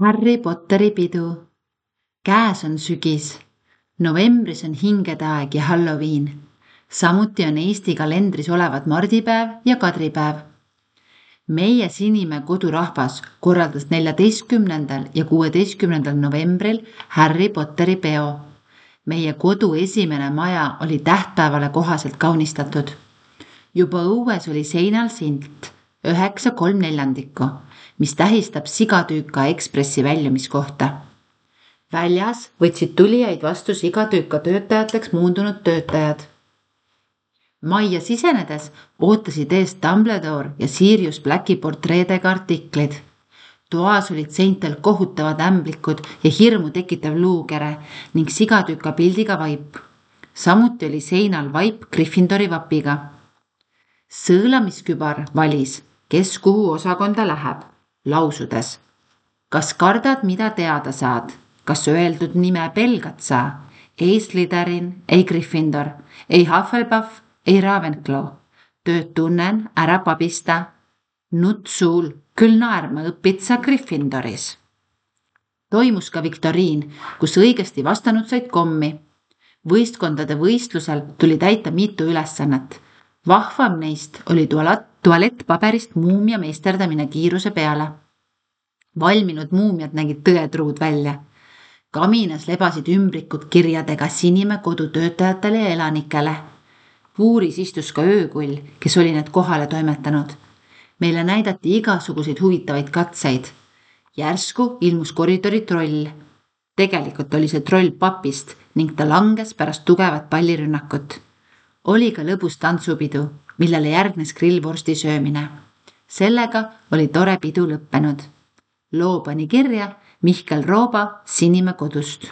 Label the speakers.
Speaker 1: Harry Potteri pidu. Käes on sügis. Novembris on hingede aeg ja Halloween. Samuti on Eesti kalendris olevad mardipäev ja kadripäev. Meie Sinimäe kodurahvas korraldas 14. ja 16. novembril Harry Potteri peo. Meie kodu esimene maja oli tähtpäevale kohaselt kaunistatud. Juba õues oli seinal silt 9/3/4, mis tähistab Sigatüüka Ekspressi väljumiskohta. Väljas võtsid tulijaid vastu Sigatüüka töötajateks muundunud töötajad. Majja sisenedes ootasid eest Dumbledore ja Sirius Blacki portreedega artiklid. Toas olid seintel kohutavad ämblikud ja hirmu tekitav luukere ning Sigatüüka pildiga vaip. Samuti oli seinal vaip Gryffindori vapiga. Sõõlamiskübar valis, kes kuhu osakonda läheb, lausudes. Kas kardad, mida teada saad? Kas öeldud nime pelgad sa? Ei Slytherin, ei Gryffindor, ei Hufflepuff, ei Ravenclaw. Tööd tunnen, ära pabista. Nutt suul, küll naerma õpid sa Gryffindoris. Toimus ka viktoriin, kus õigesti vastanud said kommi. Võistkondade võistlusel tuli täita mitu ülesannet. Vahvam neist oli tualettpaberist muumia meisterdamine kiiruse peale. Valminud muumiad nägid tõetruud välja. Kaminas lebasid ümbrikud kirjadega Sinimäe kodutöötajatele ja elanikele. Puuris istus ka öökull, kes oli need kohale toimetanud. Meile näidati igasuguseid huvitavaid katseid. Järsku ilmus koridori troll. Tegelikult oli see troll papist ning ta langes pärast tugevat pallirünnakut. Oli ka lõbus tantsupidu, millele järgnes grillvorsti söömine. Sellega oli tore pidu lõppenud. Loo pani kirja Mihkel Rooba Sinimäe kodust.